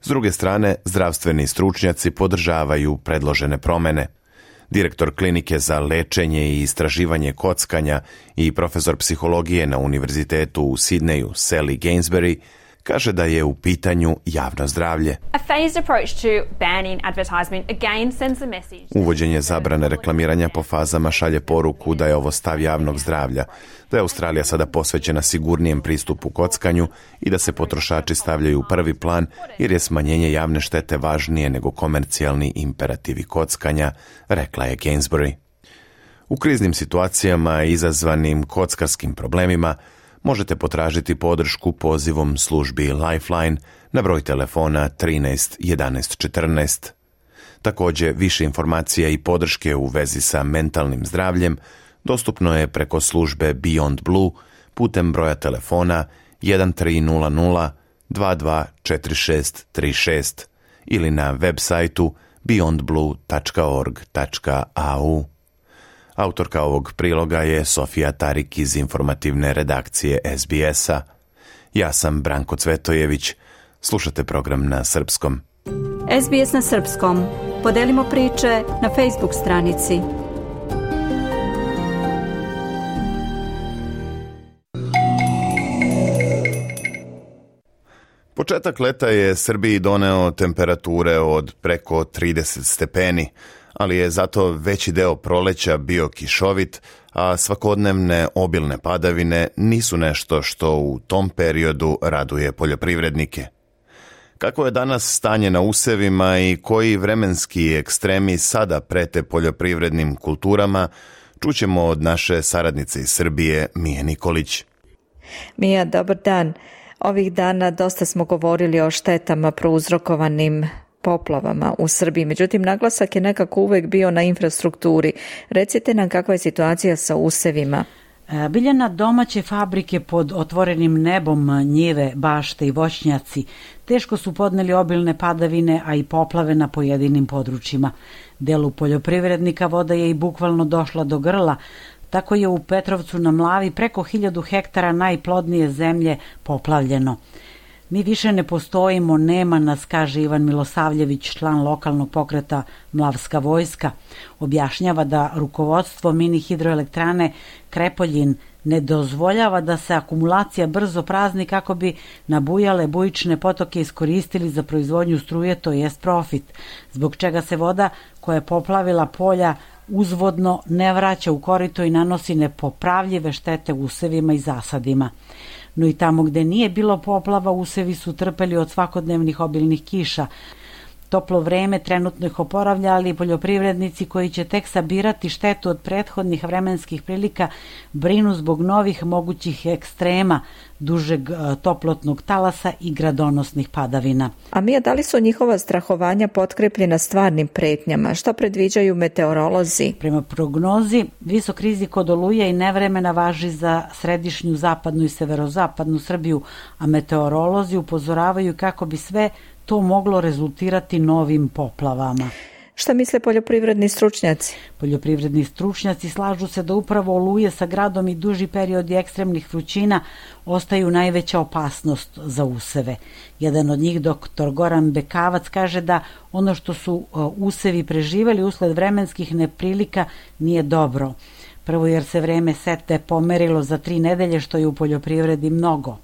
S druge strane, zdravstveni stručnjaci podržavaju predložene promene. Direktor klinike za lečenje i istraživanje kockanja i profesor psihologije na univerzitetu u Sidneju, Sally Gainsbury, kaže da je u pitanju javno zdravlje. Uvođenje zabrane reklamiranja po fazama šalje poruku da je ovo stav javnog zdravlja, da je Australija sada posvećena sigurnijem pristupu kockanju i da se potrošači stavljaju u prvi plan jer je smanjenje javne štete važnije nego komercijalni imperativi kockanja, rekla je Gainsbury. U kriznim situacijama izazvanim kockarskim problemima možete potražiti podršku pozivom službi Lifeline na broj telefona trinaest jedanaest četrnaest. Također, više informacija i podrške u vezi sa mentalnim zdravljem dostupno je preko službe Beyond Blue putem broja telefona jedan tri nula nula dva dva četiri šest tri šest ili na web sajtu beyond blue tačka org tačka a u. Autorka ovog priloga je Sofija Tarik iz informativne redakcije es bi es-a. Ja sam Branko Cvetojević. Slušate program na srpskom. es bi es na srpskom. Podelimo priče na Facebook stranici. Početak leta je Srbiji doneo temperature od preko trideset stepeni, ali je zato veći deo proleća bio kišovit, a svakodnevne obilne padavine nisu nešto što u tom periodu raduje poljoprivrednike. Kako je danas stanje na usevima i koji vremenski ekstremi sada prete poljoprivrednim kulturama, čućemo od naše saradnice iz Srbije, Mije Nikolić. Mija, dobar dan. Ovih dana dosta smo govorili o štetama prouzrokovanim poplavama u Srbiji, međutim naglasak je nekako uvek bio na infrastrukturi. Recite nam kakva je situacija sa usevima. Biljana, domaće fabrike pod otvorenim nebom, njive, bašte i voćnjaci teško su podneli obilne padavine, a i poplave na pojedinim područjima. Delu poljoprivrednika voda je i bukvalno došla do grla. Tako je u Petrovcu na Mlavi preko hiljadu hektara najplodnije zemlje poplavljeno. Mi više ne postojimo, nema nas, kaže Ivan Milosavljević, član lokalnog pokreta Mlavska vojska. Objašnjava da rukovodstvo mini hidroelektrane Krepoljin ne dozvoljava da se akumulacija brzo prazni kako bi nabujale bujične potoke iskoristili za proizvodnju struje, to jest profit, zbog čega se voda koja je poplavila polja uzvodno ne vraća u korito i nanosi nepopravljive štete usevima i zasadima. No i tamo gde nije bilo poplava, usevi su trpeli od svakodnevnih obilnih kiša. Toplo vreme trenutno ih oporavlja, ali poljoprivrednici koji će tek sabirati štetu od prethodnih vremenskih prilika brinu zbog novih mogućih ekstrema, dužeg toplotnog talasa i gradonosnih padavina. A Mija, da li su njihova strahovanja potkrepljena stvarnim pretnjama? Šta predviđaju meteorolozi? Prema prognozi, visok rizik od oluje i nevremena važi za središnju, zapadnu i severozapadnu Srbiju, a meteorolozi upozoravaju kako bi sve to moglo rezultirati novim poplavama. Šta misle poljoprivredni stručnjaci? Poljoprivredni stručnjaci slažu se da upravo oluje sa gradom i duži periodi ekstremnih vrućina ostaju najveća opasnost za useve. Jedan od njih, doktor Goran Bekavac, kaže da ono što su usevi preživeli usled vremenskih neprilika nije dobro. Prvo jer se vreme setve pomerilo za tri nedelje, što je u poljoprivredi mnogo.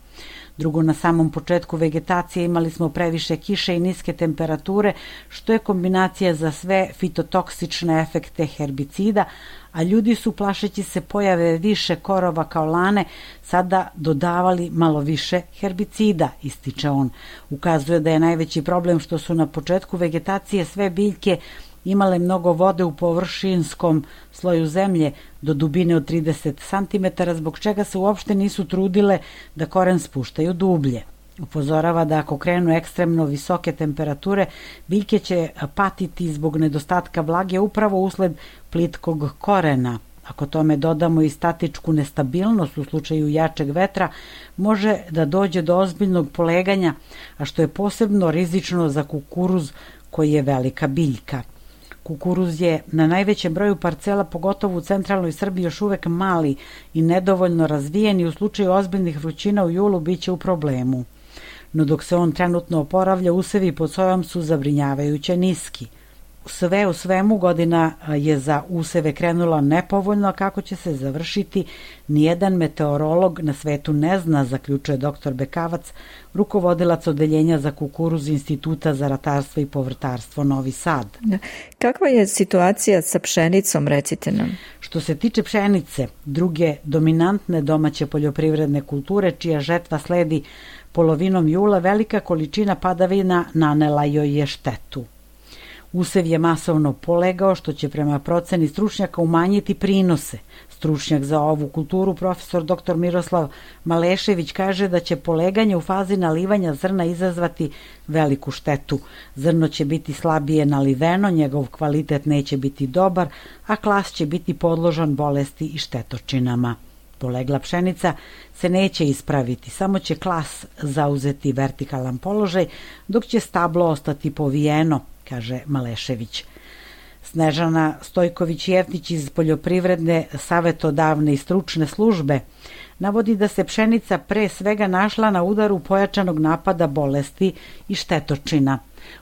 Drugo, na samom početku vegetacije imali smo previše kiše i niske temperature, što je kombinacija za sve fitotoksične efekte herbicida, a ljudi su, plašeći se pojave više korova kao lane, sada dodavali malo više herbicida, ističe on. Ukazuje da je najveći problem što su na početku vegetacije sve biljke imale mnogo vode u površinskom sloju zemlje do dubine od trideset centimetara, zbog čega se uopšte nisu trudile da koren spuštaju dublje. Upozorava da ako krenu ekstremno visoke temperature, biljke će patiti zbog nedostatka vlage upravo usled plitkog korena. Ako tome dodamo i statičku nestabilnost u slučaju jačeg vetra, može da dođe do ozbiljnog poleganja, a što je posebno rizično za kukuruz koji je velika biljka. Kukuruz je na najvećem broju parcela, pogotovo u centralnoj Srbiji, još uvek mali i nedovoljno razvijen i u slučaju ozbiljnih vrućina u julu biće u problemu. No dok se on trenutno oporavlja, usevi pod sojom su zabrinjavajuće niski. Sve u svemu, godina je za useve krenula nepovoljno, a kako će se završiti, nijedan meteorolog na svetu ne zna, zaključuje doktor Bekavac, rukovodilac odeljenja za kukuruz Instituta za ratarstvo i povrtarstvo Novi Sad. Kakva je situacija sa pšenicom, recite nam? Što se tiče pšenice, druge dominantne domaće poljoprivredne kulture, čija žetva sledi polovinom jula, velika količina padavina nanela joj je štetu. Usev je masovno polegao, što će prema proceni stručnjaka umanjiti prinose. Stručnjak za ovu kulturu, profesor doktor Miroslav Malešević, kaže da će poleganje u fazi nalivanja zrna izazvati veliku štetu. Zrno će biti slabije naliveno, njegov kvalitet neće biti dobar, a klas će biti podložan bolesti i štetočinama. Polegla pšenica se neće ispraviti, samo će klas zauzeti vertikalan položaj, dok će stablo ostati povijeno, kaže Malešević. Snežana Stojković-Jeftić iz poljoprivredne savetodavne i stručne službe navodi da se pšenica pre svega našla na udaru pojačanog napada bolesti i štetočina.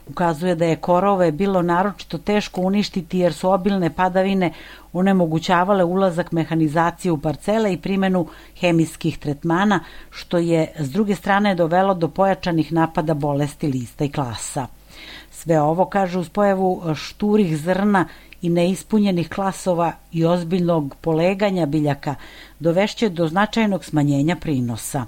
Ukazuje da je korove bilo naročito teško uništiti jer su obilne padavine onemogućavale ulazak mehanizacije u parcele i primjenu hemijskih tretmana, što je s druge strane dovelo do pojačanih napada bolesti lista i klasa. Sve ovo, kaže, uz pojavu šturih zrna i neispunjenih klasova i ozbiljnog poleganja biljaka dovešće do značajnog smanjenja prinosa.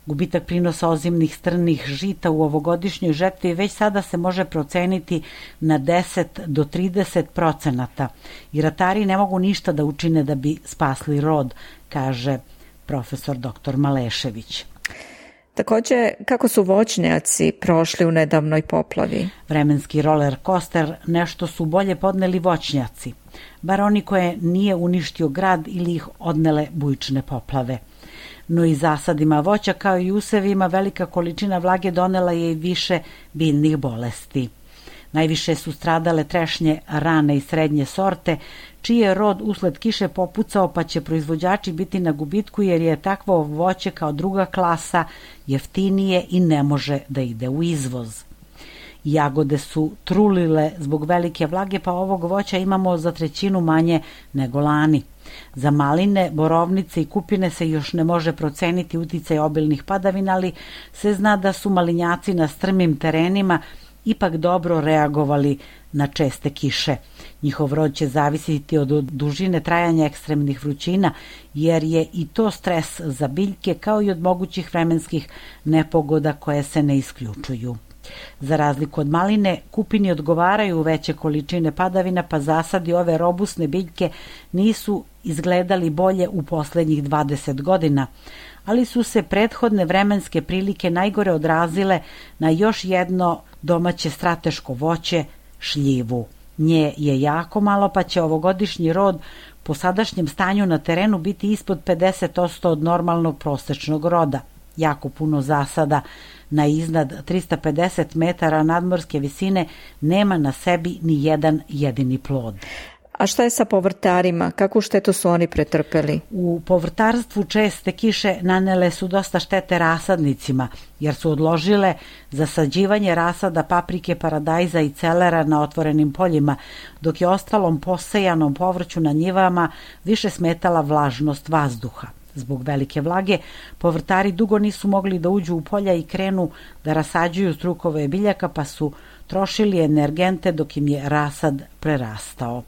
Gubitak prinosa ozimnih strnih žita u ovogodišnjoj žetvi već sada se može proceniti na deset do trideset procenata i ratari ne mogu ništa da učine da bi spasli rod, kaže profesor doktor Malešević. Takođe, kako su voćnjaci prošli u nedavnoj poplavi? Vremenski roller coaster nešto su bolje podneli voćnjaci, bar oni koje nije uništio grad ili ih odnele bujične poplave. No i zasadima voća kao i usevima velika količina vlage donela je i više biljnih bolesti. Najviše su stradale trešnje rane i srednje sorte, čiji je rod usled kiše popucao, pa će proizvođači biti na gubitku jer je takvo voće kao druga klasa jeftinije i ne može da ide u izvoz. Jagode su trulile zbog velike vlage, pa ovog voća imamo za trećinu manje nego lani. Za maline, borovnice i kupine se još ne može proceniti uticaj obilnih padavina, ali se zna da su malinjaci na strmim terenima ipak dobro reagovali na česte kiše. Njihov rod će zavisiti od dužine trajanja ekstremnih vrućina, jer je i to stres za biljke kao i od mogućih vremenskih nepogoda koje se ne isključuju. Za razliku od maline, kupini odgovaraju veće količine padavina, pa zasadi ove robusne biljke nisu izgledali bolje u poslednjih dvadeset godina, ali su se prethodne vremenske prilike najgore odrazile na još jedno domaće strateško voće, šljivu. Nje je jako malo, pa će ovogodišnji rod po sadašnjem stanju na terenu biti ispod pedeset posto od normalnog prosečnog roda. Jako puno zasada na iznad trista pedeset metara nadmorske visine nema na sebi ni jedan jedini plod. A šta je sa povrtarima? Kakvu štetu su oni pretrpeli? U povrtarstvu česte kiše nanele su dosta štete rasadnicima, jer su odložile zasađivanje rasada paprike, paradajza i celera na otvorenim poljima, dok je ostalom posejanom povrću na njivama više smetala vlažnost vazduha. Zbog velike vlage, povrtari dugo nisu mogli da uđu u polja i krenu da rasađuju strukove biljaka, pa su trošili energente dok im je rasad prerastao.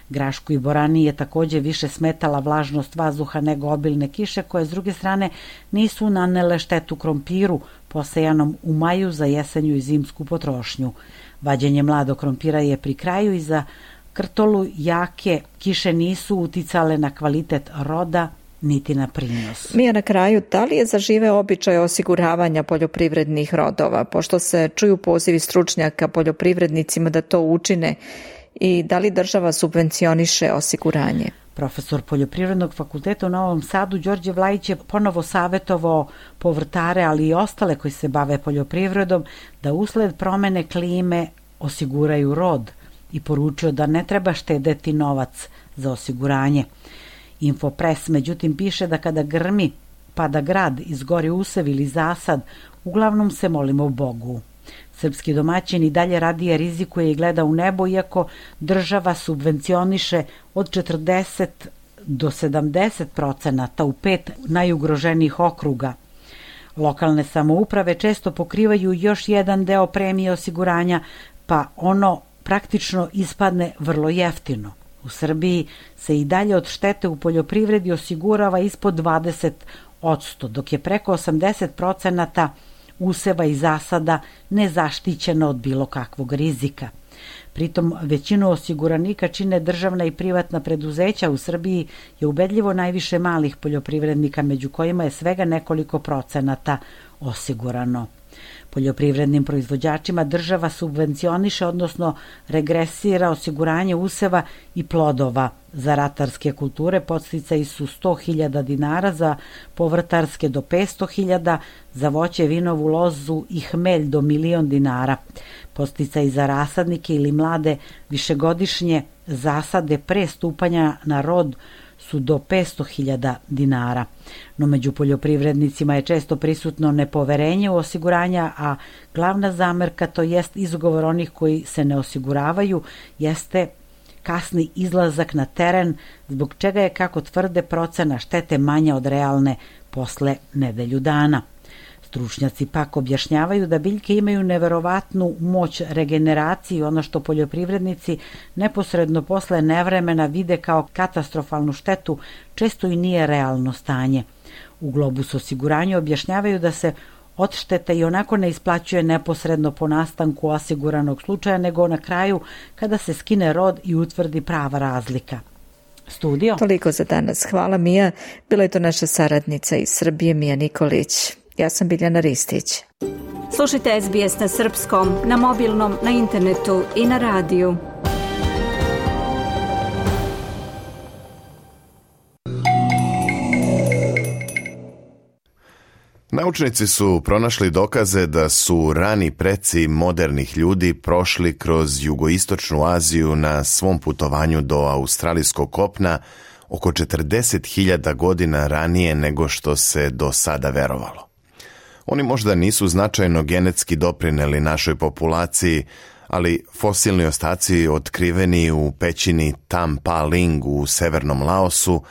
Grašku i borani je takođe više smetala vlažnost vazduha nego obilne kiše, koje s druge strane nisu nanele štetu krompiru, posejanom u maju za jesenju i zimsku potrošnju. Vađenje mladog krompira je pri kraju i za krtolu jake kiše nisu uticale na kvalitet roda niti na prinos. Mija, na kraju, da li je zaživeo običaj osiguravanja poljoprivrednih rodova, pošto se čuju pozivi stručnjaka poljoprivrednicima da to učine, i da li država subvencioniše osiguranje? Profesor Poljoprivrednog fakulteta u Novom Sadu Đorđe Vlajić je ponovo savetovao povrtare, ali i ostale koji se bave poljoprivredom, da usled promene klime osiguraju rod i poručio da ne treba štedeti novac za osiguranje. Infopres, međutim, piše da kada grmi, pada grad, izgori usev ili zasad, uglavnom se molimo Bogu. Srpski domaćin i dalje radije rizikuje i gleda u nebo, iako država subvencioniše od četrdeset do sedamdeset procenata u pet najugroženijih okruga. Lokalne samouprave često pokrivaju još jedan deo premije osiguranja, pa ono praktično ispadne vrlo jeftino. U Srbiji se i dalje od štete u poljoprivredi osigurava ispod dvadeset posto, dok je preko osamdeset procenata useva i zasada nezaštićeno od bilo kakvog rizika. Pritom većinu osiguranika čine državna i privatna preduzeća. U Srbiji je ubedljivo najviše malih poljoprivrednika, među kojima je svega nekoliko procenata osigurano. Poljoprivrednim proizvođačima država subvencioniše, odnosno regresira osiguranje useva i plodova. Za ratarske kulture podsticaji su sto hiljada dinara, za povrtarske do petsto hiljada, za voće, vinovu lozu i hmelj do milion dinara. Podsticaji za rasadnike ili mlade višegodišnje zasade pre stupanja na rod su do petsto hiljada dinara. No među poljoprivrednicima je često prisutno nepoverenje u osiguranja, a glavna zamerka, to jest izgovor onih koji se ne osiguravaju, jeste kasni izlazak na teren, zbog čega je, kako tvrde, procena štete manja od realne posle nedelju dana. Stručnjaci pak objašnjavaju da biljke imaju neverovatnu moć regeneracije, ono što poljoprivrednici neposredno posle nevremena vide kao katastrofalnu štetu, često i nije realno stanje. U Globus osiguranju objašnjavaju da se odšteta i onako ne isplaćuje neposredno po nastanku osiguranog slučaja, nego na kraju kada se skine rod i utvrdi prava razlika. Studio. Toliko za danas. Hvala, Mija. Bila je to naša saradnica iz Srbije, Mija Nikolić. Ja sam Biljana Ristić. Slušajte S B S na srpskom, na mobilnom, na internetu i na radiju. Naučnici su pronašli dokaze da su rani preci modernih ljudi prošli kroz jugoistočnu Aziju na svom putovanju do australijskog kopna oko četrdeset hiljada godina ranije nego što se do sada verovalo. Oni možda nisu značajno genetski doprineli našoj populaciji, ali fosilni ostaci otkriveni u pećini Tam Pa Ling u severnom Laosu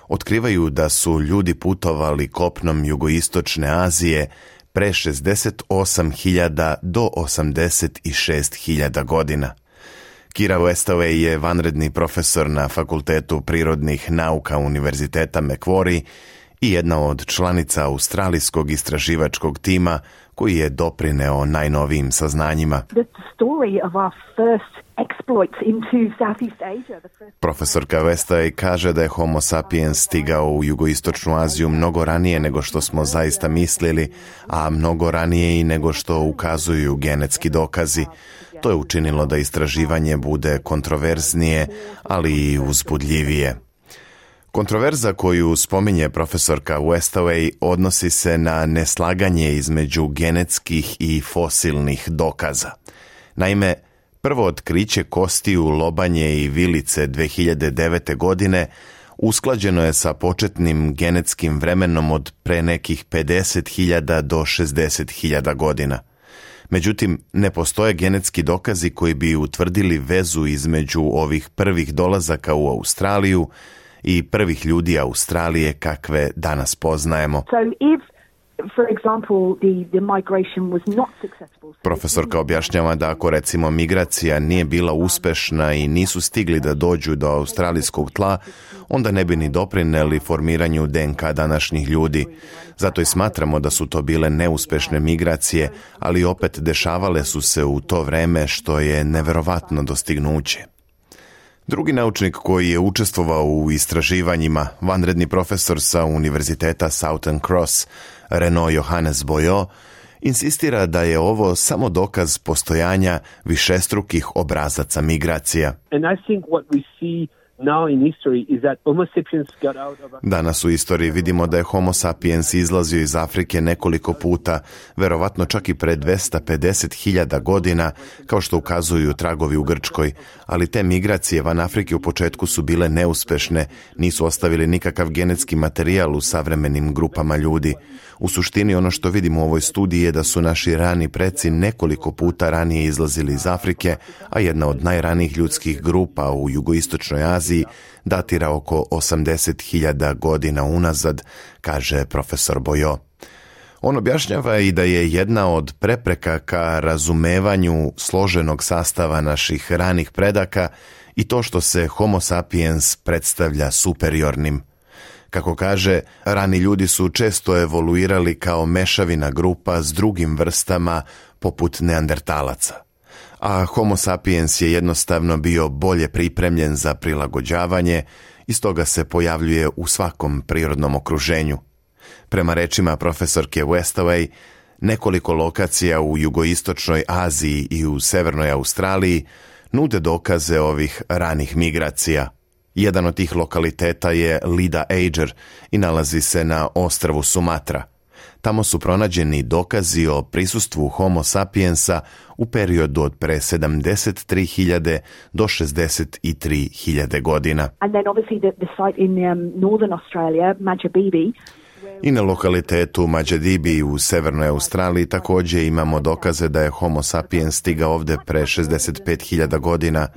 otkrivaju da su ljudi putovali kopnom jugoistočne Azije pre šezdeset osam hiljada do osamdeset šest hiljada godina. Kira Westaway je vanredni profesor na Fakultetu prirodnih nauka Univerziteta Macquarie i jedna od članica australijskog istraživačkog tima koji je doprineo najnovijim saznanjima. Profesorka Westaway kaže da je Homo sapiens stigao u jugoistočnu Aziju mnogo ranije nego što smo zaista mislili, a mnogo ranije i nego što ukazuju genetski dokazi. To je učinilo da istraživanje bude kontroverznije, ali i uzbudljivije. Kontroverza koju spominje profesorka Westaway odnosi se na neslaganje između genetskih i fosilnih dokaza. Naime, prvo otkriće kostiju lobanje i vilice dve hiljade devete. godine usklađeno je sa početnim genetskim vremenom od pre nekih pedeset hiljada do šezdeset hiljada godina. Međutim, ne postoje genetski dokazi koji bi utvrdili vezu između ovih prvih dolazaka u Australiju i prvih ljudi Australije kakve danas poznajemo. So if, for example, the, the migration was not successful. Profesorka objašnjava da ako recimo migracija nije bila uspešna i nisu stigli da dođu do australijskog tla, onda ne bi ni doprineli formiranju D N K današnjih ljudi. Zato i smatramo da su to bile neuspešne migracije, ali opet dešavale su se u to vreme, što je neverovatno dostignuće. Drugi naučnik koji je učestvovao u istraživanjima, vanredni profesor sa Univerziteta Southern Cross, Renaud Johannes Boyo, insistira da je ovo samo dokaz postojanja višestrukih obrazaca migracija. And I think what we see now in history is that Homo sapiens got out of... Danas u istoriji vidimo da je Homo sapiens izlazio iz Afrike nekoliko puta, verovatno čak i pre dvesta pedeset hiljada godina, kao što ukazuju tragovi u Grčkoj, ali te migracije van Afrike u početku su bile neuspešne, nisu ostavili nikakav genetski materijal u savremenim grupama ljudi. U suštini ono što vidimo u ovoj studiji je da su naši rani preci nekoliko puta ranije izlazili iz Afrike, a jedna od najranijih ljudskih grupa u jugoistočnoj Aziji datira oko osamdeset hiljada godina unazad, kaže profesor Boyo. On objašnjava i da je jedna od prepreka ka razumevanju složenog sastava naših ranih predaka i to što se Homo sapiens predstavlja superiornim. Kako kaže, rani ljudi su često evoluirali kao mešavina grupa s drugim vrstama poput neandertalaca. A Homo sapiens je jednostavno bio bolje pripremljen za prilagođavanje i stoga se pojavljuje u svakom prirodnom okruženju. Prema rečima profesorke Westaway, nekoliko lokacija u jugoistočnoj Aziji i u severnoj Australiji nude dokaze ovih ranih migracija. Jedan od tih lokaliteta je Lida Ager i nalazi se na ostrvu Sumatra. Tamo su pronađeni dokazi o prisustvu Homo sapiensa u periodu od pre sedamdeset tri hiljade do šezdeset tri hiljade godina. And then obviously the, the site in um, northern Australia, Majabibi. I na lokalitetu Mađadibi u severnoj Australiji također imamo dokaze da je Homo sapiens stigao ovdje pre šezdeset pet hiljada godina,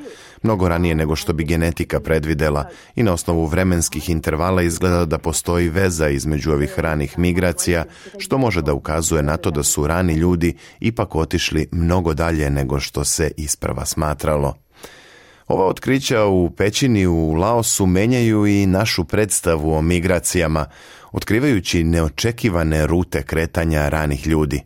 mnogo ranije nego što bi genetika predvidela, i na osnovu vremenskih intervala izgleda da postoji veza između ovih ranih migracija, što može da ukazuje na to da su rani ljudi ipak otišli mnogo dalje nego što se isprva smatralo. Ova otkrića u pećini u Laosu menjaju i našu predstavu o migracijama, otkrivajući neočekivane rute kretanja ranih ljudi.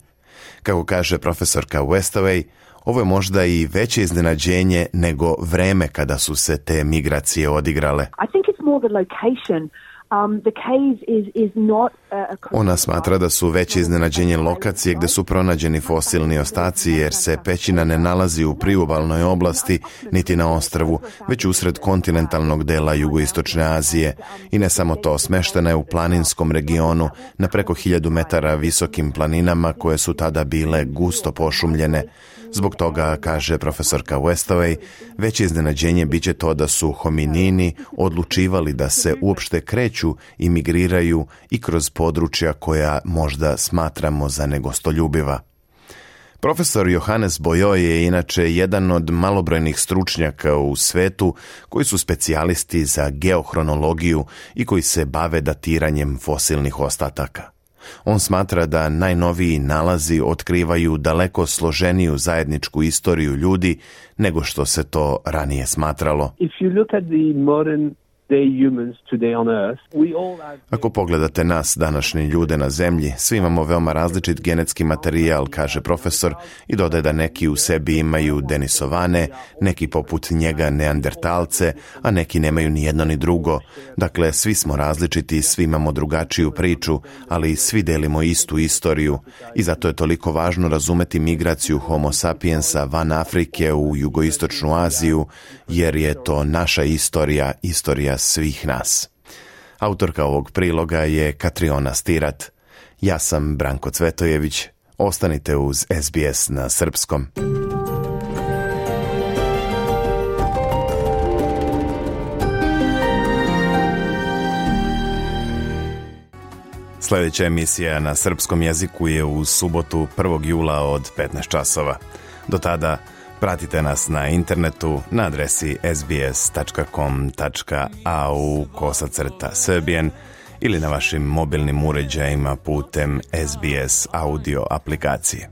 Kako kaže profesorka Westaway, ovo je možda i veće iznenađenje nego vreme kada su se te migracije odigrale. I think it's more the location. Um, the caves is, is not a... Ona smatra da su veće iznenađenje lokacije gde su pronađeni fosilni ostaci, jer se pećina ne nalazi u priobalnoj oblasti niti na ostrvu, već usred kontinentalnog dela jugoistočne Azije. I ne samo to, smeštena je u planinskom regionu na preko hiljadu metara visokim planinama koje su tada bile gusto pošumljene. Zbog toga, kaže profesorka Westaway, veće iznenađenje biće to da su hominini odlučivali da se uopšte kreću i migriraju i kroz područja koja možda smatramo za negostoljubiva. Profesor Johannes Boyoi je inače jedan od malobrojnih stručnjaka u svetu koji su specijalisti za geohronologiju i koji se bave datiranjem fosilnih ostataka. On smatra da najnoviji nalazi otkrivaju daleko složeniju zajedničku istoriju ljudi nego što se to ranije smatralo. If you look at the modern day humans today on Earth, we all have... Ako pogledate nas, današnje ljude na zemlji, svi imamo veoma različit genetski materijal, kaže profesor, i dodaje da neki u sebi imaju denisovane, neki poput njega neandertalce, a neki nemaju ni jedno ni drugo. Dakle, svi smo različiti, svi imamo drugačiju priču, ali svi delimo istu istoriju i zato je toliko važno razumeti migraciju Homo sapiensa van Afrike u jugoistočnu Aziju, jer je to naša istorija, istorija svih nas. Autorka ovog priloga je Katriona Stirat. Ja sam Branko Cvetojević. Ostanite uz S B S na srpskom. Sljedeća emisija na srpskom jeziku je u subotu prvog jula od petnaest časova. Do tada pratite nas na internetu na adresi sbs tačka com tačka a u kosacrta srbijen ili na vašim mobilnim uređajima putem S B S audio aplikacije.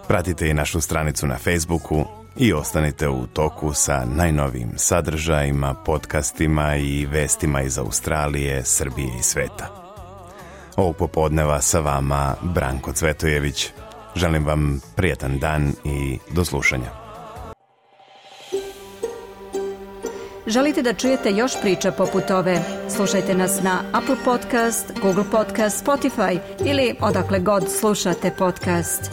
Pratite i našu stranicu na Facebooku i ostanite u toku sa najnovijim sadržajima, podcastima i vestima iz Australije, Srbije i sveta. Ovog popodneva sa vama Branko Cvetojević. Želim vam prijatan dan i do slušanja. Želite da čujete još priča poput ove? Slušajte nas na Apple Podcast, Google Podcast, Spotify ili odakle god slušate podcast.